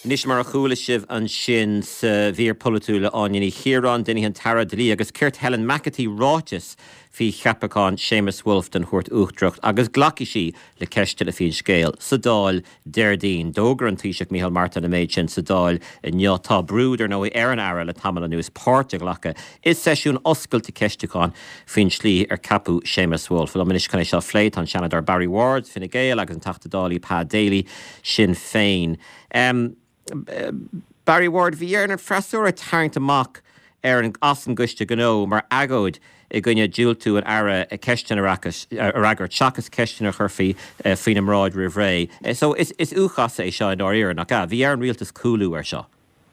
Anois, mar a chuala sibh ansin sa mhír pholaitiúil le Áine Ní Chiaráin, déanfaidh an tAire Dlí agus Cirt Helen McEntee ráiteas faoi cheapachán Séamus Woulfe don Chúirt Uachtarach agus glacfaidh sí le ceisteanna faoin scéal sa Dáil Déardaoin. D'fhógair an Taoiseach Micheál Martin an méid sin sa Dáil inniu. Tá brú, dar ndóigh, ar an Aire le tamall anuas páirt a ghlacadh i seisiún oscailte ceistiúcháin faoin tslí ar ceapadh Séamus Woulfe. Liom anois chun é seo a phlé tá an Seanadóir Barry Ward, Fine Gael, agus an Teachta Dála Pa Daly, Sinn Féin. Barry Ward, bhí ar an freasúra tarraingt amach ar an as an gCoiste Gnó mar agóid i gcoinne diúltú an Aire ceisteanna a fhreagairt seachas ceisteanna a chuirfí faoina mbráid roimh ré. So is U-chasadh é seo i ndáiríre, nach ea? Bhí ar an rialtas cúlú air seo.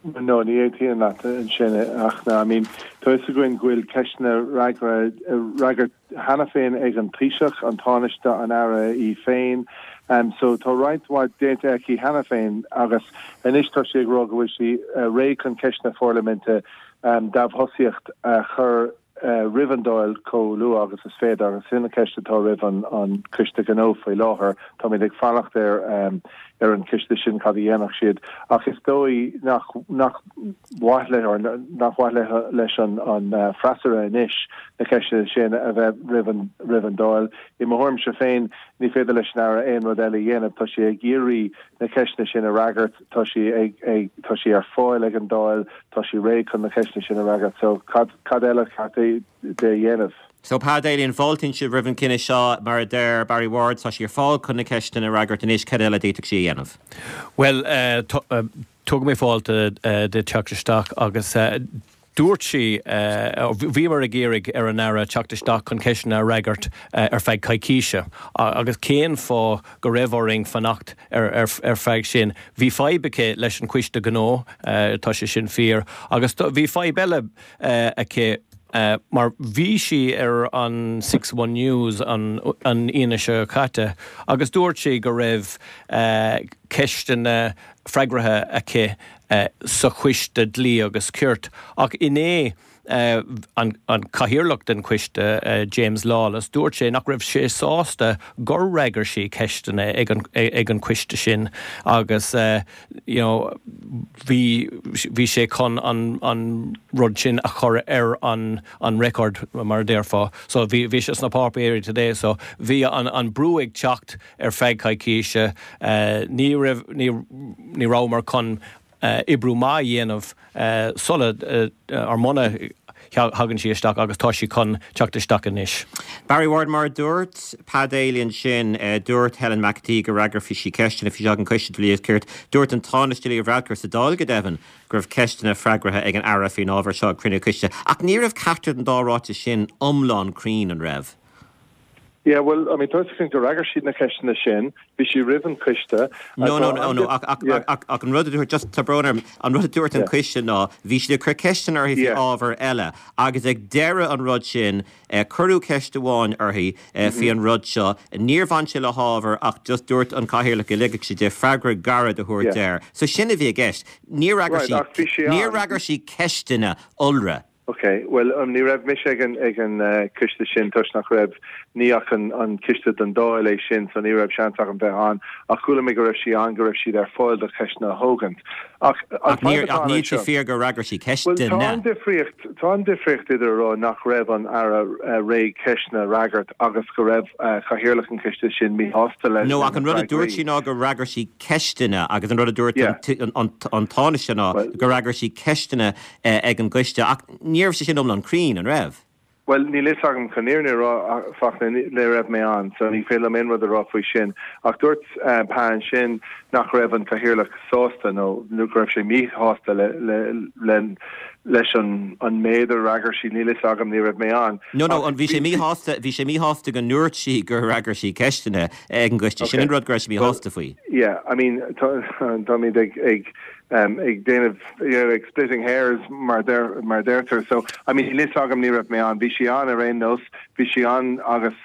No, ní aontaím leat ansin ach I mean tá fhios againn go bhfuil ceisteanna freagra freagairt cheana féin ag an Taoiseach, an Tánaiste, an Aire í féin. So tá roinnt mhaith déanta aici cheana féin agus anois tá sí ag rá go bhfuil sí réidh chun ceisteanna pharlaiminte dá thosaíocht a chur roimh an Dáil chomh luath agus is féidir agus sin an ceist atá roimh an Coiste Gnó faoi láthair. Táimid ag fanacht ar ar an coiste sin cad a dhéanfadh siad ach is dóigh nach nach mhaith le or nach mhaith le leis an an freasúra anois na ceisteanna sin a bheith roimh an roimh an Dáil. I mo thuairimse féin ní féidir leis an Aire aon rud eile a dhéanamh. Tá sí ag iarraidh na ceisteanna sin a fhreagairt, tá sí ag ag tá sí ar fáil ag an Dáil, tá sí réidh chun na ceisteanna sin a fhreagairt. So cad cad eile ceart di a dhéanamh? So Pa Daly, an bhfáiltíonn sibh roimh an cinneadh seo? Mar a deir Barry Ward, tá sí ar fáil chun na ceisteanna a fhreagairt anois, cad eile a d'fhéadfadh sí a dhéanamh? Bhuel, tugaim fáilte di teacht isteach agus dúirt sí, bhíomar ag iarraidh ar an Aire teacht isteach chun ceisteanna a fhreagairt ar feadh coicíse agus cén fáth go raibh orainn fanacht ar feadh sin? Bhí fadhb aici leis an Choiste Gnó, tá sé sin fíor, agus bhí fadhb eile aici mar bhí sí ar an Six One News an Aoine seo caite agus dúirt sí go raibh ceisteanna freagartha aici sa Choiste Dlí agus Cirt ach inné an cathaoirleach den choiste, James Lawless, dúirt sé nach raibh sé sásta gur fhreagair sí ceisteanna ag an choiste sin agus you know bhí bhí sé chun an an rud sin a chur ar an an record mar a déarfá. So bhí bhí sé sna páipéirí today so bhí an an brú ag teacht ar feadh coicíse. Ní raibh ní ní rabhamar chun oibriú maith a dhéanamh sula or muna thagann sí isteach agus tá sí chun teacht isteach anois. Barry Ward, Mar a dúirt Pa Daly ansin, dúirt Helen McEntee go bhfreagródh sí ceisteanna faoi seo ag an Coiste Dlí agus Cirt. Dúirt an Tánaiste Leo Varadkar sa Dáil go deimhin go raibh ceisteanna freagartha ag an Aire faoin ábhar seo ag cruinniú coiste. Ach ní raibh ceachtar den dá ráiteas sin iomlán cruinn, an raibh? Yeah, well, I mean, tá fhios againn gur fhreagair sí na ceisteanna sin, bhí sí roimh an coiste. No, no, no, no, ach, ach, yeah. ach, ach an rud a dúirt, just tá brón orm, an rud a dúirt an coiste ná, bhí siad ag cur ceisteanna uirthi faoi ábhar eile, agus ag deireadh an rud sin, eh, cuireadh ceist amháin uirthi eh, faoi an rud seo, níor bhain sé le hábhar ach just dúirt an cathaoirleach go ligfeadh sé di freagra gairid a thabhairt air. So sin a bhí i gceist. Níor fhreagair sí, níor fhreagair sí ceisteanna iolra. Ok, bhuel, ní raibh mise ag an ag an coiste sin toisc nach raibh, ní ach an an coiste don Dáil é sin so ní raibh seans agam bheith ann ach chuala mé go raibh sí ann, go raibh siad ar fáil do cheisteanna a thógaint. Ach an fadhb atá ann níl sé fíor gur fhreagair sí Bhuel, tá an difríocht, tá an difríocht idir a rá nach raibh an Aire réidh ceisteanna a fhreagairt agus go raibh cathaoirleach an choiste sin míshásta leis No, ach an rud a dúirt sí ná gur fhreagair sí ceisteanna agus an rud a dúirt an Tánaiste ná gur fhreagair sí ceisteanna ag an gcoiste ach ní raibh sé sin iomlán cruinn, an raibh? Bhuel, níl fhios agam chun an fhírinne a rá, Fachtna, ní raibh mé ann, so ní féidir liom aon rud a rá faoi sin. Ach dúirt Pa ansin nach raibh an Cathaoirleach sásta nó go raibh sé míshásta le, le, le, leis an, an méid a fhreagair sí, níl fhios agam, ní raibh mé ann. No, no, an, bhí sé míshásta, bhí sé míshásta go ndúirt sí gur fhreagair sí ceisteanna ag an gcoiste, sin an rud go raibh sé míshásta faoi. Yeah, I mean, tá, táimid ag, ag, ag déanamh, you know, ag splitting hairs mar mar deirtear. So, I mean, níl fhios agam, ní raibh mé ann. Bhí sí ann ar aon nós, bhí sí ann agus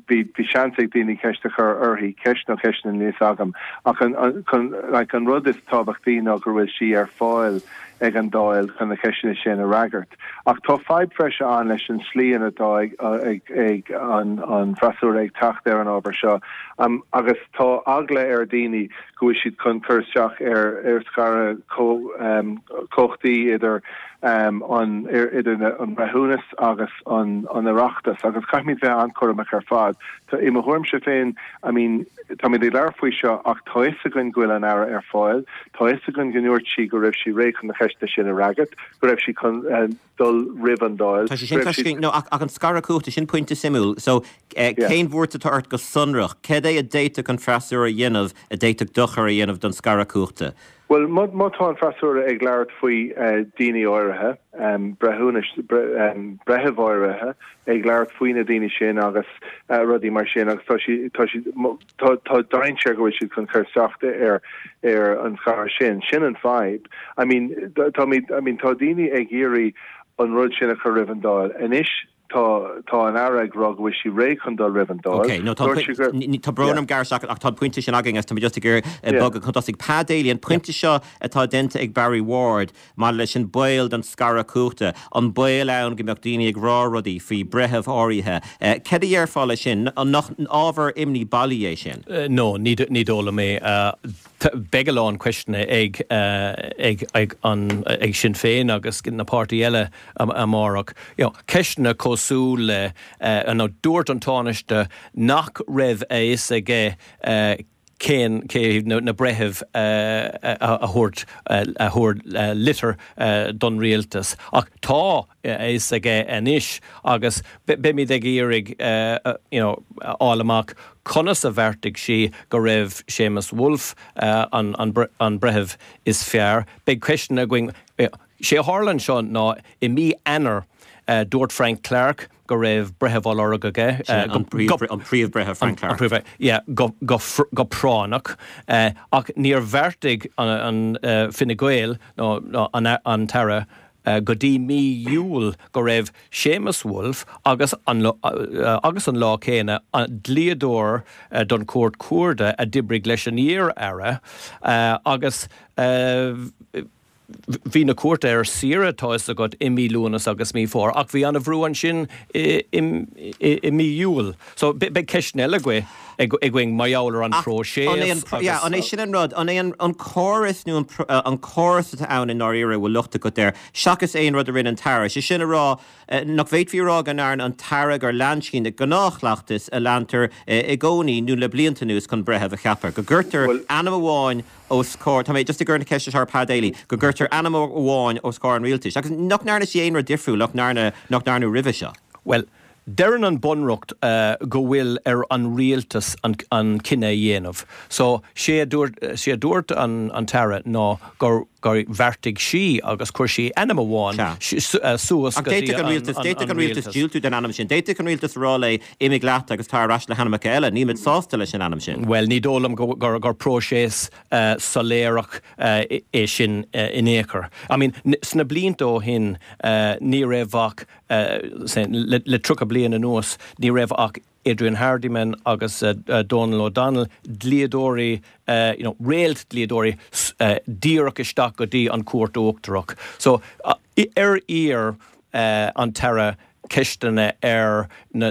bhí bhí seans ag daoine ceist a chur uirthi, ceist nó ceisteanna níl fhios agam. Ach an, an, chun, like, an rud is tábhachtaí ná go bhfuil sí ar fáil. ag an Dáil chun na ceisteanna sin a fhreagairt. Ach tá fadhb bhreise ann leis an slí ina atá ag an freasúra ag teacht ar an ábhar seo agus tá eagla ar dhaoine go bhfuil siad chun cur isteach ar scaradh cumhachtaí idir an idir an breithiúnas agus an Oireachtas agus caithfimid bheith an-chúramach ar fad. I mo thuairimse féin, I mean, táimid ag labhairt faoi seo ach tá fhios againn go bhfuil an Aire ar fáil, tá fhios againn go ndúirt sí go raibh sí réidh chun na ceisteanna sin a fhreagairt, go raibh sí chun dul roimh an Dáil, Tá sé sin cloiste, no, ach an scaradh cumhachta, sin pointe suimiúil. So, cén bhuairt atá ort go sonrach? Cad é a d'fhéadfadh an freasúra a dhéanamh a d'fhéadfadh dochar a dhéanamh don scaradh cumhachta? Bhuel, má tá an freasúra ag labhairt faoi daoine áirithe, breithiúnais, breithimh áirithe, ag labhairt faoi na daoine sin agus rudaí mar sin agus tá sí, tá sí, tá, tá dainséar go bhfuil siad chun cur isteach ar, ar an scaradh sin. Sin an fadhb. I mean, táimid, I mean, tá daoine ag iarraidh an rud sin a chur roimh an Dáil. Anois, Tá, tá an Aire ag rá go bhfuil sí réidh chun dul roimh an Dáil. Ok, no, tá, Dúirt sí gur, tá brón orm gearradh isteach ach tá an pointe sin againn agus tá mé just ag iarraidh Yeah. bogadh chun tosaigh. Pa Daly, an pointe seo atá déanta ag Barry Ward maidir leis an baol don scaradh cumhachta, an baol ann go mbeadh daoine ag rá rudaí faoi bhreithimh áirithe, céard a dhéarfá leis sin? An nach ábhar imní bailí é sin? No, ní, ní dóigh liom é. Beidh a lán ceisteanna ag, ag, ag an, ag Sinn Féin agus na páirtí eile amárach. You know, ceisteanna cosúil le, you know, dúirt an Tánaiste nach raibh a fhios aige cén, cé hiad na breithimh a thabhairt, a thabhair litir don rialtas. Ach tá a fhios aige anois agus beimid ag iarraidh you know, a fháil amach conas a bheartaigh sí go raibh Séamus Woulfe an, an breitheamh is fearr. Beidh ceisteanna againn. Sé a tharla anseo ná i mí Eanáir dúirt Frank Clarke go raibh breitheamh á lorg aige. Sin an Príomh-Bhreitheamh Frank Clarke. Yeah, go práinneach. Ach níor bheartaigh an Fine Gael nó an tAire go dtí mí Iúil go raibh Séamus Woulfe agus an agus an lá céanna an dlíodóir don Chúirt Chuarda a d'oibrigh leis an iar-aire agus Bhí na cúirte ar saoire, tá fhios agat, i mí Lúnasa agus mí Fómhair, ach bhí an-bhrú ansin i mí Iúil. So, beidh ceisteanna eile againn mar gheall ar an phróiseas agus. Yeah, an é sin an rud? An é an córas nó an córas atá ann i ndáiríre a bhfuil locht agat air, seachas aon rud a rinne an tAire? Sé sin a rá, nach bhféadfaí a rá go ndearna an tAire gur lean sí na gnáthchleachtais a leantar i gcónaí nó le blianta anuas chun breitheamh a cheapadh, go gcuirtear ainm amháin os comhair, tá mé just ag cur na ceiste seo ar Pa Daly, go gcuirtear ainm amháin os comhair an rialtais agus nach ndearna sí aon rud difriúil nach ndearna, nach ndearnadh roimhe seo. Bhuel, deireann an Bunreacht go bhfuil ar an rialtas an cinneadh a dhéanamh. So, sé a dúirt, sé a dúirt an tAire ná gur, gur bheartaigh sí agus chuir sí ainm amháin suas go dtí an rialtas. D'fhéadfadh an rialtas diúltú don ainm sin. D'fhéadfadh an rialtas a rá léi Imigh leat agus tar ar ais le hainmneacha eile. Nílimid sásta leis an ainm sin. Bhuel, ní dóigh liom gur próiseas soiléireach é sin in aon chor. I mean, sna blianta ó shin, ní raibh ach, le 30 bliain anuas, ní raibh ach Adrian Hardiman agus Donal O'Donnell, dlíodóirí, you know, réalt-dhlíodóirí, díreach isteach go dtí an Chúirt Uachtarach. So, ar iarr an tAire ceisteanna ar na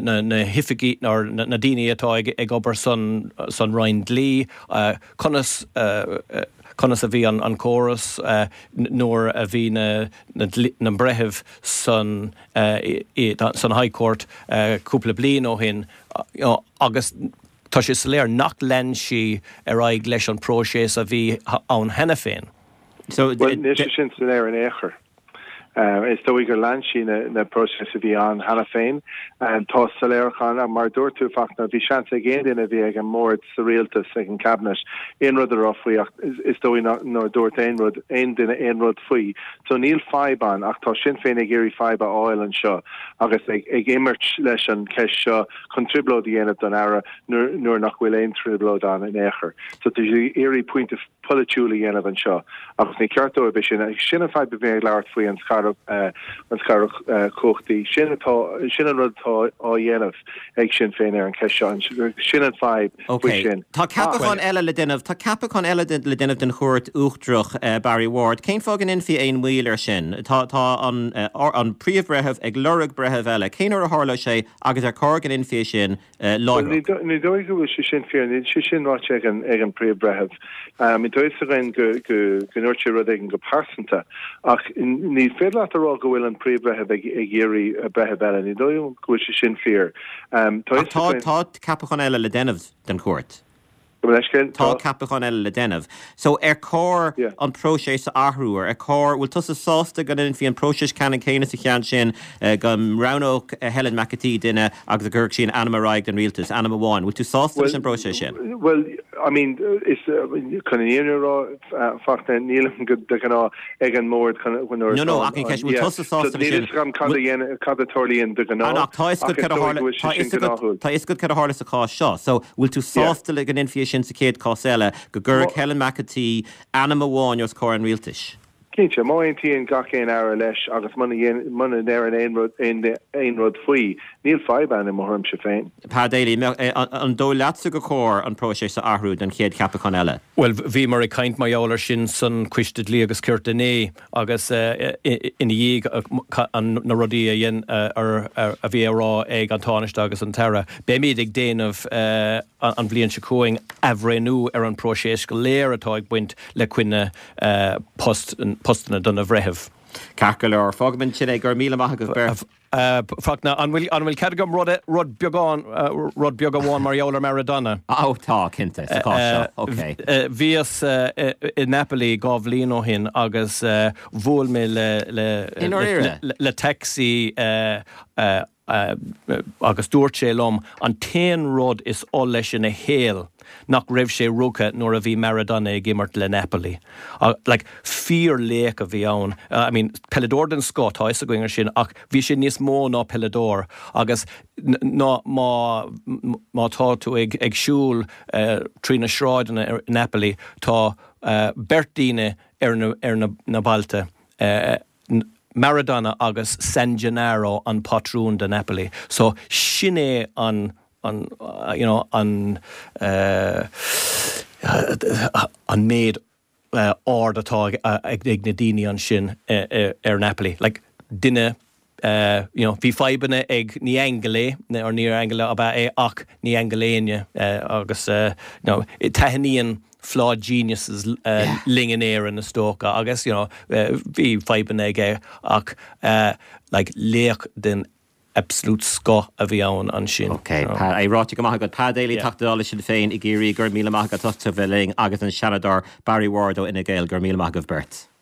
hoifigigh nó na daoine atá ag obair san Roinn Dlí, conas conas a bhí an córas nuair a bhí na na breithimh san san High Court cúpla bliain ó shin agus tá sé soiléir nach lean sí ar aghaidh leis an próiseas a bhí ann cheana féin. Bhuel, níl sé sin soiléir in aon chor. Is dóigh gur lean sí na próiseas a bhí ann cheana féin. Tá soiléireacht ann, mar a dúirt tú, Fachtna, bhí seans ag aon duine a bhí ag an mbord sa rialtas, ag an cabinet, aon rud a rá faoi ach is dóigh nár dúirt aon rud, aon duine aon rud faoi. So níl fadhb ann ach tá Sinn Féin ag iarraidh fadhb a fháil anseo agus ag imirt leis an cheist seo chun trioblóid a dhéanamh don Aire nuair nach bhfuil aon trioblóid ann in aon chor. So tá siad ag iarraidh pointe. polaitiúil a dhéanamh anseo agus ní ceart dóibh é sin. Sin an fadhb a bhí ag labhairt faoi an scaradh an scaradh cumhachtaí. Sin atá sin an rud atá á dhéanamh ag Sinn Féin ar an cheist seo. Sin an fadhb faoi sin. Tá ceapachán eile le déanamh Tá ceapachán eile le déanamh den Chúirt Uachtarach, Barry Ward. Cén fáth go ndéanfaí aon mhoill air sin? Tá tá an an Príomh-Bhreitheamh ag lorg breitheamh eile. Cén uair a tharlóidh sé agus ar chóir go ndéanfaí é sin láithreach. Ní dóigh go bhfuil sé sin fíor. Níl sé sin ráite ag an ag an bPríomh-Bhreitheamh. Tá a fhios againn go go go ndúirt sé rud éigin go pearsanta ach ní féidir leat a rá go bhfuil an Príomh-Bhreitheamh ag ag iarraidh breitheamh eile. Ní dóigh liom go bhfuil sé sin fíor. Tá a fhios againn. Tá ceapachán eile le déanamh den chúirt. Tá ceapachán eile le déanamh. So, ar chóir an próiseas a athrú? Ar chóir, bhfuil tusa sásta go ndéanfaí an próiseas ceannann céanna sa cheann sin, go roghnódh Helen McEntee duine agus go gcuirfeadh sí an ainm ar aghaidh don rialtas, ainm amháin. Bhfuil tú sásta leis an bpróiseas sin? Bhuel, I mean, is, chun an fhírinne a rá, Fachtna, nílim go de ghnáth ag an mbord chun nuair No, no, ach an cheist, bhfuil tusa sásta leis sin? Níl fhios agam cad a dhéanann, cad a tarlaíonn de ghnáth, ach tá fhios agat cad a tharla, tá fhios agat, tá fhios agat cad a tharla sa chás seo. So, bhfuil tú sásta le go ndéanfaí é sin sa chéad chás eile, go gcuirfeadh Helen McEntee ainm amháin os comhair an rialtais? Cinnte, má aontaíonn gach aon Aire leis agus muna muna ndeireann aon rud aon rud faoi, níl fadhb ann i mo thuairimse féin. Pa Daly, an dóigh leatsa gur chóir an próiseas a athrú don chéad cheapachán eile? Bhuel, bhíomar ag caint mar gheall air sin san Coiste Dlí agus Cirt inné agus ina dhiaidh na rudaí a dhein a bhí á rá ag an Tánaiste agus an tAire. Beimid ag déanamh an bhliain seo chugainn athbhreithniú ar an bpróiseas go léir atá ag baint le coinne postanna do na bhreithimh. Ceart go leor. Fágfaidh ansin é. Go raibh míle maith agaibh beirt. Fachtna, an bhfuil, an bhfuil cead agam rud, rud beagán, rud beag amháin mar gheall ar Maradona? Ó, tá, cinnte, sa chás seo. Ok. Bhíos i Napoli 2 bhliain ó shin agus bhuail mé le, le, I ndáiríre? le taxi agus dúirt sé liom an t-aon rud is oth leis ina shaol nach raibh sé rugtha nuair a bhí Maradona ag imirt le Napoli. Like, fíor-laoch a bhí ann. I mean, peileadóir den scoth, tá a fhios againn ar sin, ach bhí sé níos mó ná peileadóir agus ná má má tá tú ag ag siúl trí na sráideanna i Napoli, tá beirt daoine ar na ar na na bailte, Maradona agus San Gennaro an pátrún do Napoli. So sin é an an you know an eh an méid aird atá ag ag na daoine ansin ar Napoli. Like duine eh you know bhí fadhbanna ag ní aingeal é or níor aingeal ab ea é ach ní aingeal éinne agus eh you know taitníonn flawed geniuses linn in Éirinn is dócha agus you know bhí fadhbanna aige ach like laoch den absolute scoth a bhí ann ansin. Ok, Pa, é ráite go maith agat. Pa Daly, Teachta Dála Sinn Féin i gCiarraí, go raibh míle maith agat as a bheith linn agus an Seanadóir Barry Ward ó Fhine Gael, go raibh míle maith agaibh beirt.